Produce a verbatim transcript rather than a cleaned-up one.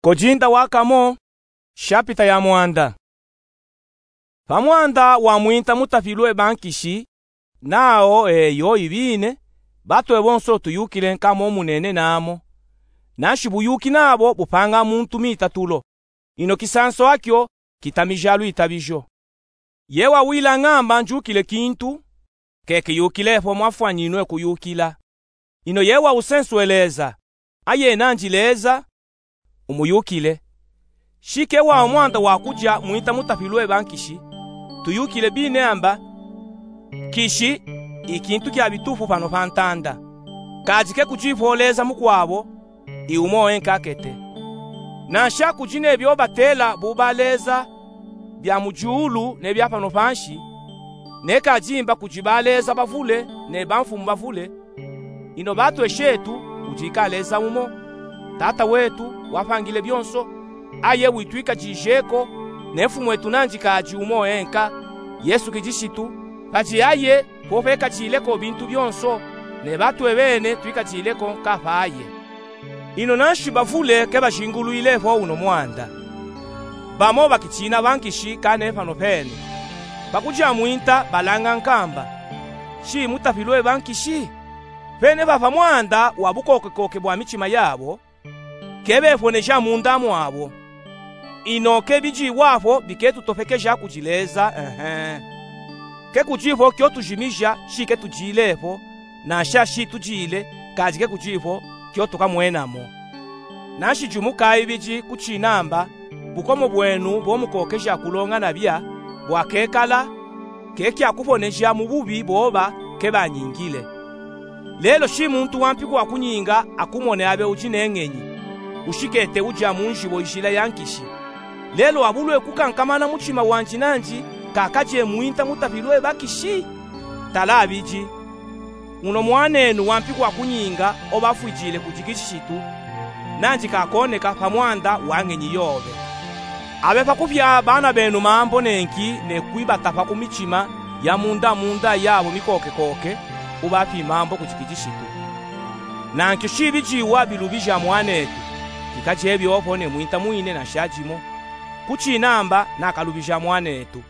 Kodinda wa kamo, shapita ya mwanda. Pa mwanda wa mwinta mutafilwe ba nkishi, nao eyo ibine, batwe bonso tuyukile nkamo munene namo. Nanshi buyuki nabo bupanga muntu mitatulo. Ino kisanso akyo kitamija lwitabijo. Ye wawila ngamba njukile kintu, ke kiyukile fo mwafwaninwe kuyukila. Ino ye wawusenswe Leza, aye nanji Leza, umuyukile. Shi ke wa mwanda wa kuja mwinta mutafilwe ba nkishi, tuyukile bine amba, nkishi ikintu kya bitufu pano pa ntanda. Kadi ke kuji fo Leza mukwabo, i umo enka akete. Nansha kuji ne byo batela buba leza bya mu julu ne bya pano pa nshi, ne kadi mba kuji ba leza bavule ne ba mfumu bavule. Ino batwe shetu kuji ka Leza umo, Tata wetu wapangile byonso, aye witwikajije ko, ne mfumu wetu nanji kadi umo enka, Yesu Kilishitu, kadi aye fo fekajile ko bintu byonso, ne batwe bene twikajile ko nka pa aye. Ino nanshi bavule ke bajingulwile fo uno mwanda. Bamo bakitiina ba nkishi kane pano pene. Pa kuja mwinta balanga nkamba, shi mutafilwe ba nkishi? Pene pa pa mwanda wa bukokekoke bwa mitima yabo, ke befoneja munda mwabo. Ino ke bijiwa fo biketutofekeja kuji Leza, ehe. Ke kuji fo kyo tujimija, shi ke tujile fo, nansha shi tujile, kadi ke kuji fo kyo tukamwenamo. Nanshi jumuka ibiji kutinamba, bukomo bwenu bo mukokeja kulonga nabya, bwakekala, ke kya kufoneja mu bubi boba ke banyingile. Lelo shi muntu wa mpiku wa kunyinga akumone abe uji ne ngenyi, ushikete uja mu njibo ijila ya nkishi. Lelo wabulwe kukankamana mutima wanji nanji, ka kaje mwinta mutafilwe ba nkishi? Tala abiji. Uno mwanenu wa mpiku wa kunyinga oba afwijile kuji Kilishitu, nanji kakoneka pa mwanda wa ngenyi yobe. Abe pa kupya bana benu mambo nenki ne kwibata pa ku mitima ya munda munda yabo mikokekoke, ubapi mambo kuji Kilishitu. Nankyo shi bijiwa bilubija mwanetu, kikaje byo fo ne mwinta mwine nansha jimo. Kutinamba nakalubija mwanetu.